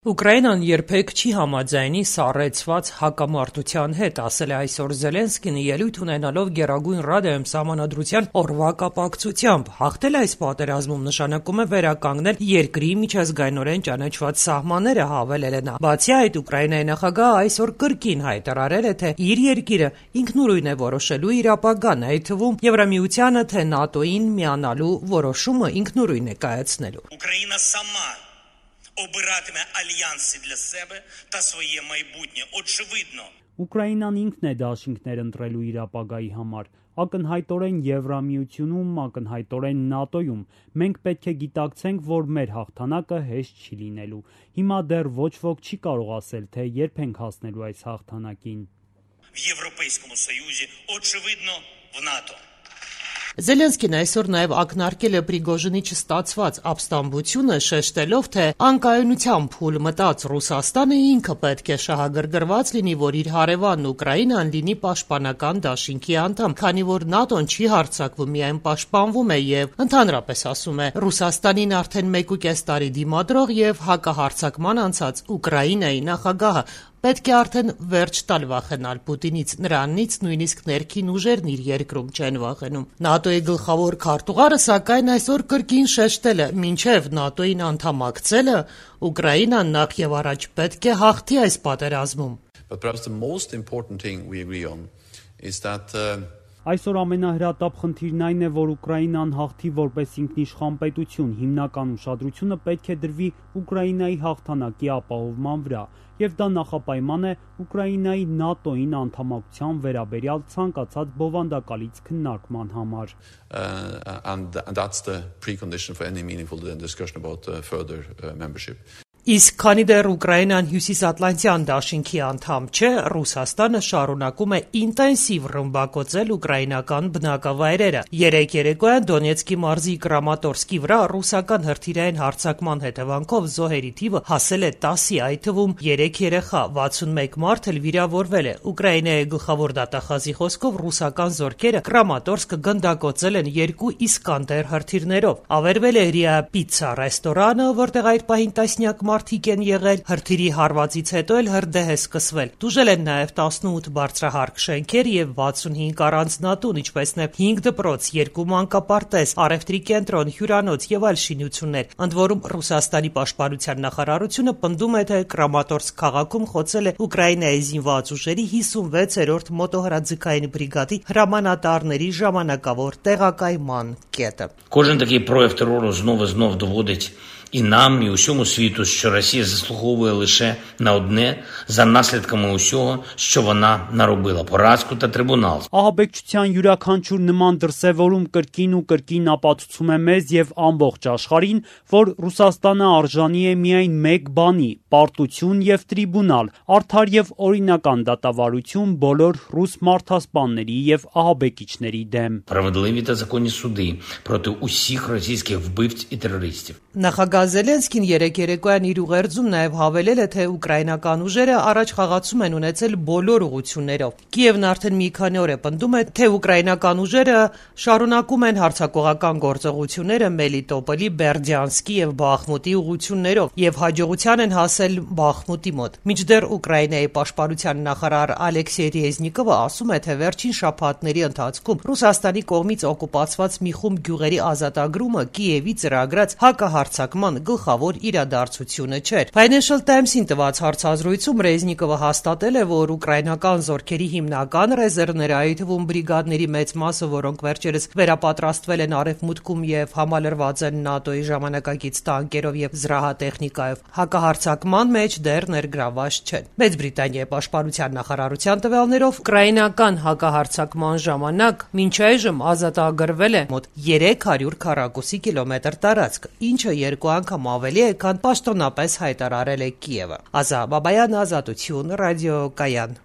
Ուկրաինան երբեք չի համաձայնի սառեցված հակամարտության հետ, ասել է այսօր Զելենսկին ելույթ ունենալով Գերագույն Ռադայում Սահմանադրության օրվա կապակցությամբ։ Հաղթել այս պատերազմում նշանակում է վերականգնել երկրի միջազգայինորեն ճանաչված սահմանները, հավելել է նա։ Բացի այդ, Ուկրաինայի նախագահը այսօր կրկին հայտարարել է, թե իր երկիրը ինքնուրույն է որոշելու իր ապագան, այդ թվում Եվրամիությանը թե ՆԱՏՕ-ին միանալու որոշումը ինքնուրույն է կայացնելու։ Україна сама обиратиме альянси для себе та своє майбутнє. Очевидно. Ուկրաինան ինքն է դաշինքներ ընտրելու իր ապագայի համար, ակնհայտորեն Եվրամիությունում, ակնհայտորեն ՆԱՏՕ-ում։ Մենք պետք է գիտակցենք, որ մեր հաղթանակը հեշտ չի լինելու։ Հիմա դեռ ոչ ոք չի կարող ասել, թե երբ ենք հասնելու այս հաղթանակին։ В Європейському Союзі, очевидно, в НАТО. Զելենսկին այսօր նաև ակնարկել է Պրիգոժինի չստացված ապստամբությունը, շեշտելով, թե անկայունությամբ փուլ մտած Ռուսաստանը ինքը պետք է շահագրգռված լինի, որ իր հարևանն Ուկրաինան լինի պաշտպանական դաշինքի անդամ, քանի որ ՆԱՏՕ-ն չի հարձակվում, միայն պաշտպանվում է եւ ընդհանրապես ասում է Ռուսաստանին արդեն 1.5 տարի դիմադրող եւ հակահարձակման անցած Ուկրաինայի նախագահը պետք է արդեն վերջ տալ վախենալ Պուտինից, նրանից նույնիսկ ներքին ուժերն իր երկրում չեն վախենում։ ՆԱՏՕ-ի գլխավոր քարտուղարը սակայն այսօր կրկին շեշտել է, մինչև ՆԱՏՕ-ին անդամակցելը Ուկրաինան նախ եւ առաջ պետք է հաղթի այս պատերազմում։ But perhaps the most important thing we agree on is that Այսօր ամենահրատապ խնդիրն այն է, որ Ուկրաինան հաղթի որպես ինքնիշխան պետություն, հիմնական ուշադրությունը պետք է դրվի Ուկրաինայի հաղթանակի ապահովման վրա, եւ դա նախապայման է Ուկրաինայի ՆԱՏՕ-ին անդամակցության վերաբերյալ ցանկացած բովանդակալից քննարկման համար։ And that's the precondition for any meaningful discussion about further membership. Իսկ քանի դեռ Ուկրաինան Հյուսիսատլանտյան դաշինքի անդամ չէ, Ռուսաստանը շարունակում է ինտենսիվ ռմբակոծել ուկրաինական բնակավայրերը։ Երեկ երեկոյան Դոնեցկի մարզի Կրամատորսկի վրա ռուսական հրթիռային հարձակման հետևանքով զոհերի թիվը հասել է 10-ի, այդ թվում 3 երեխա, 61 մարդ էլ վիրավորվել է։ Ուկրաինայի գլխավոր դատախազի խոսքով ռուսական զորքերը Կրամատորսկը գնդակոծել են 2 Իսկանդեր հրթիռներով։ Ավերվել է Ռիա Պիցցա ռեստորանը, որտեղ այդ պահին տասնյակ մարդիկ են եղել, հրթիռի հարվածից հետո էլ հրդեհ է սկսվել։ Տուժել են նաև 18 բարձրահարկ շենքեր եւ 65 առանձնատուն, ինչպես նաեւ 5 դպրոց, 2 մանկապարտեզ, առևտրի կենտրոն, հյուրանոց եւ այլ շինություններ։ Ընդ որում Ռուսաստանի պաշտպանության նախարարությունը պնդում է, թե Կրամատորսկ քաղաքում խոցել է Ուկրաինայի զինված ուժերի 56-րդ մոտոհրաձգային բրիգադի հրամանատարների ժամանակավոր տեղակայման կետը։ Кожен такий прояв терору знов і знов доводить і нам, і усьому світу, що Росія заслуговує лише на одне за наслідками усього, що вона наробила – поразку та трибунал. Ահաբեկչության յուրաքանչյուր նման դրսևորում կրկին ու կրկին ապացուցում է մեզ եւ ամբողջ աշխարհին, որ Ռուսաստանը արժանի է միայն մեկ բանի՝ պարտություն եւ տրիբունալ, արդար եւ օրինական դատավարություն բոլոր ռուս մարդասպանների եւ ահաբեկիչների դեմ։ Справедливі та законні суди проти усіх російських вбивць і терористів. Նախագահ Զելենսկին երեկ երեկոյան իր ուղերձում նաև հավելել է, թե ուկրաինական ուժերը առաջ խաղացում են ունեցել բոլոր ուղղություններով։ Կիևն արդեն մի քանի օր է պնդում է, թե ուկրաինական ուժերը շարունակում են հարձակողական գործողությունները Մելիտոպոլի, Բերդյանսկի եւ Բախմուտի ուղղություններով եւ հաջողության են հասել Բախմուտի մոտ։ Մինչդեռ Ուկրաինայի պաշտպանության նախարար Ալեքսեյ Ռեզնիկովը ասում է, թե վերջին շաբաթների ընթացքում Ռուսաստանի կողմից օկուպացված մի խումբ գյուղերի ազատագրումը Կիևի ծրագրած հակահարձակման գլխավոր իրադարձությունը չէր։ Financial Times-ին տված հարցազրույցում Ռեզնիկովը հաստատել է, որ ուկրաինական զորքերի հիմնական ռեզերվները, այդ թվում բրիգադների մեծ մասը, որոնք վերջերս վերապատրաստվել են արևմուտքում եւ համալրված են ՆԱՏՕ-ի ժամանակակից տանկերով եւ զրահատեխնիկայով, հակահարձակման մեջ դեռ ներգրաված չեն։ Մեծ Բրիտանիայի պաշտպանության նախարարության տվյալներով ուկրաինական հակահարձակման ժամանակ մինչ այժմ ազատագրվել է մոտ 300 քառակուսի կիլոմետր տարածք, ինչը 2 անգամ ավելի է, քան պաշտոնապես հայտարարել է Կիևը։ Ազա Բաբայան, Ազատություն, ռադիոկայան։